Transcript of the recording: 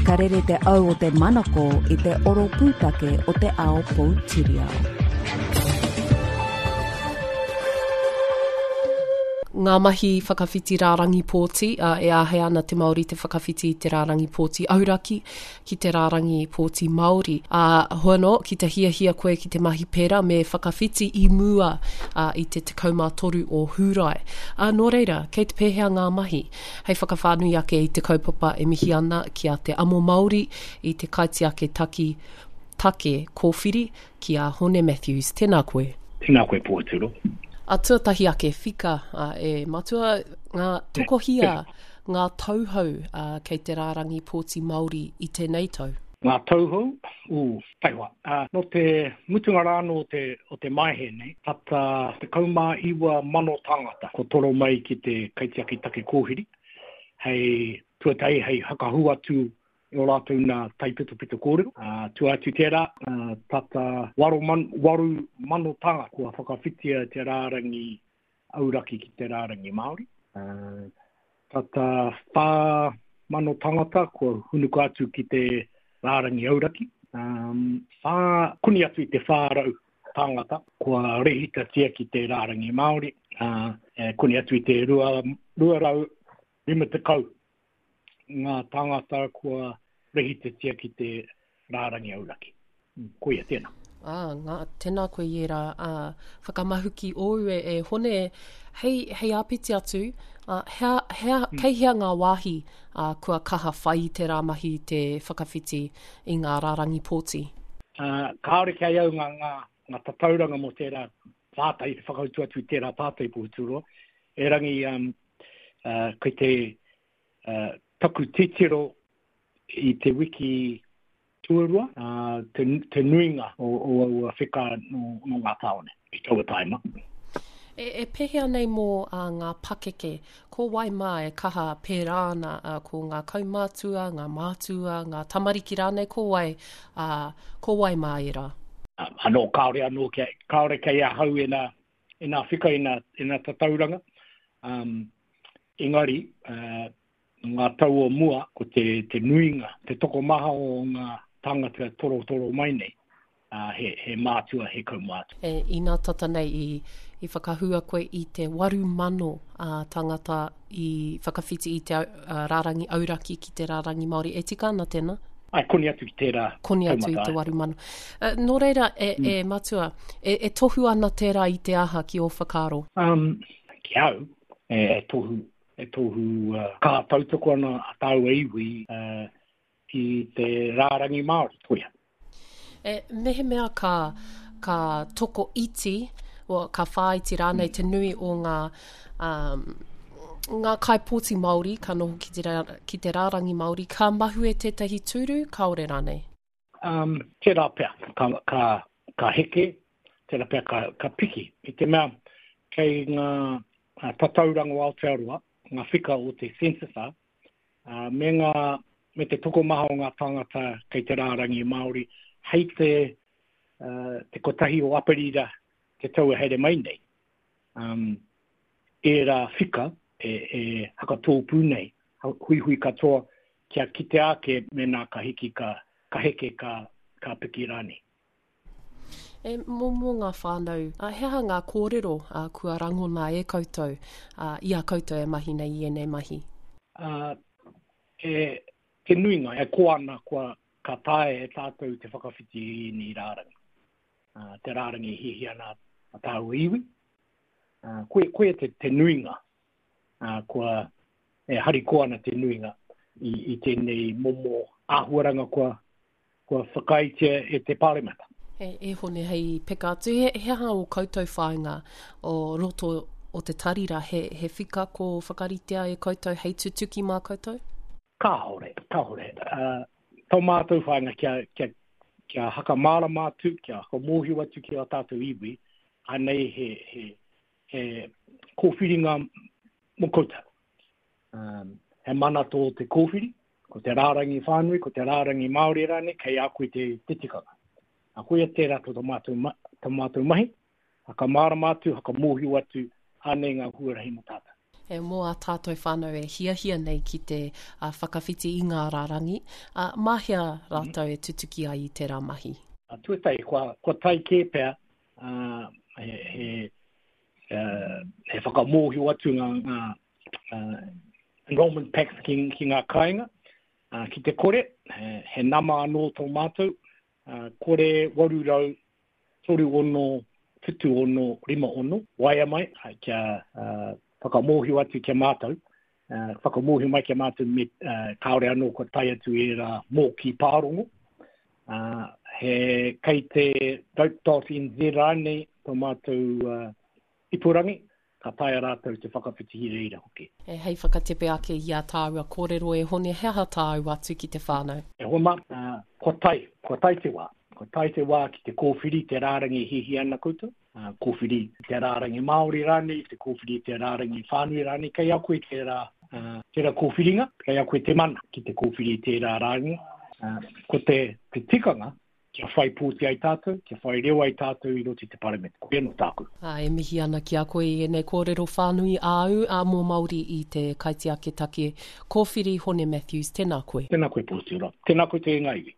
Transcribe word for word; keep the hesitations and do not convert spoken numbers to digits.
Ka rere te au o te manako i te oro pūtake o te ao poutiriao. Ngā mahi whakawhiti rārangi pōti, uh, e āhei ana te Māori te whakawhiti i te rārangi pōti auraki ki te rārangi pōti Māori. Uh, hoi anō, ki te hiahia koe ki te mahi pērā me whakawhiti i mua uh, i te tekau mā toru o Hūrae. Uh, nō reira, kei te pēhea ngā mahi? Hei whakawhānui ake i te kaupapa e mihi ana ki a Te Amo Māori i te kaitiaki taki take kōwhiri ki a Hone Matthews. Tēnā koe. Tēnā koe, Pōturo. A tuatahi ake, whika, a, e matua, ngā tokohia ngā tauhou a, kei te rārangi pōti Māori i tēnei tau? Ngā tauhou? Ū, taihoa. Uh, nō te mutunga rā nō te, o te Maehe nei, tata tekau mā iwa mano tāngata ko toro mai ki te kaitiaki take kōwhiri, hei tuatahi, hei hakahu atu i o rātou nā taipitopito kōrero. Uh, tua atu tērā, uh, tata waru man, waru mano tāngata kua whakawhitia te rārangi auraki ki te rārangi Māori. Uh, tata whā mano tāngata kua hunuku atu ki te rārangi auraki. Um, whā, koni atu i te whā rau tāngata kua rehitatia ki te rārangi Māori. Uh, e, koni atu i te rua, rua rau rima tekau ngā tāngata kua rehitatia ki te rārangi auraki. Koia tēnā. Ah, ngā, tēnā koe i ērā ah, whakamahuki ōu e, e Hone. Hei, hei āpiti atu, ah, hea, hea, mm. kei hea ngā wāhi ah, kua kaha whai i te rā mahi te whakawhiti i ngā rārangi pōti? Uh, kāore kei au ngā, ngā, ngā tatauranga mō tērā pātai, te whakautu atu i tērā pātai Pōturo. Erangi, um, uh, kei te uh, taku titiro i te wiki tuarua, uh, te, te nuinga o, o aua wheka no, no ngā tāone i taua taima. E, e pēhea nei mō uh, ngā pakeke? Ko wai mā e kaha pērā ana, uh, ko ngā kaumātua, ngā mātua, ngā tamariki rānei, ko wai, uh, ko wai mā ērā? Uh, anō, kāore anō, kia, kāore kei ahau e nā, e nā whika, e nā, e nā tatauranga. Um, engari, uh, ngā tau o mua, ko te, te nuinga, te tokomaha o ngā tāngata torotoro mai nei, uh, he, he mātua, he kaumātua. E, inā tata nei i, i whakahua koe i te waru mano uh, tāngata i whakawhiti i te uh, rārangi auraki ki te rārangi Māori. E tika ana tēnā? Ai, koni atu ki tērā. Koni atu i te waru mano. Uh, nō reira, e, mm. e matua, e, e tohu ana tērā i te aha ki ō whakaaro? Um, ki au, e, e tohu e tohu uh, ka tautoko ana a tāua iwi uh, ki te rārangi Māori, koia. E, mehemea ka, ka toko iti, o, ka whāiti rānei te nui o ngā, um, ngā kaipōti Māori, ka noho ki te, rā, ki te rārangi Māori, ka mahue tētahi tūru, kāore rānei? Um, tērā pea, ka, ka, ka heke, tērā pea ka, ka piki. I te mea, kei ngā tatauranga o Aotearoa, ngā whika o te census, uh, me, ngā, me te tokomaha o ngā tāngata kei te rārangi Māori, hei te, uh, te kotahi o Aperira te tau e haere mai nei. Um, ērā whika e, e hakatōpū nei, huihui katoa, kia kitea ake mēnā ka hiki, ka, ka heke, ka, ka piki rānei. E, mō, mō ngā whānau, he aha ngā kōrero uh, kua rangona e koutou, uh, i a koutou e mahi nei i ēnei mahi? Uh, e, te nuinga, e koa ana kua ka taea e tātou te whakawhiti i ēnei rārangi. Uh, te rārangi e hiahia ana a tāua iwi. Uh, koe, koe te, te nuinga, uh, kua e harikoa ana te nuinga i, i tēnei momo āhuaranga kua, kua whakaaetia e te Pāremata. E, e Hone, hei peka atu, he, he aha o koutou whāinga o roto o te tarira, he, he whika ko whakaritea e koutou hei tutuki mā koutou? Kāore, kāore. Uh, tō mātou whāinga kia, kia, kia hakamārama atu, kia hakamōhio atu ki a tātou iwi, anei he, he, he kōwhiringa mō koutou. Um, he mana tō te kōwhiri, ko te rārangi whānui, ko te rārangi Māori rānei, kei a koe te, te tikanga. A koia tērā tō mātou, ma, tō mātou mahi, hakamārama atu, hakamōhio atu, anei ngā huarahi mō tātou. E mō a tātou whānau e hiahia nei ki te uh, whakawhiti i ngā rārangi, uh, mā hea rātou e tutuki ai i tērā mahi? Uh, tuatahi, kua, kua tae kē pea uh, he, he, uh, he whakamōhio atu ngā, ngā uh, enrollment packs ki, ki ngā kāinga. Uh, ki te kore, he, he nama anō tō mātou, uh, kore waru rau, toru ono, whitu ono, rima ono, waea mai, kia uh, whakamōhio atu ki a mātou, uh, whakamōhio mai ki a mātou me, uh, kāore anō kua tae atu ērā mōkī pārongo. Uh, he kei te vote dot N Z rānei tō mātou uh, ipurangi, ka taea rātou te whakawhiti i reira hoki. E hei whakatepe ake i a tāua kōrero e Hone, he aha tāu atu ki te whānau? E hoa mā, uh, kua tae, kua tae te wā. Kua tae te wā ki te kōwhiri te rārangi hiahia ana koutou. Uh, kōwhiri te rārangi Māori rānei, te kōwhiri te rārangi whānui rānei, kei a koe tērā, uh, tērā kōwhiringa, kei a koe te mana ki te kōwhiri tērā rārangi. Uh, ko te, te tikanga, kia whai pōti ai tātou, kia whai reo ai tātou i roto i te paramete. Koia nō tāku. Ā, e mihi ana ki a koe i ēnei kōrero whānui āu a mō Māori i te kaitiakitake kōwhiri Hone Matthews. Tēnā koe. Tēnā koe, Pōti Ora. Tēnā koe te ngā iwi.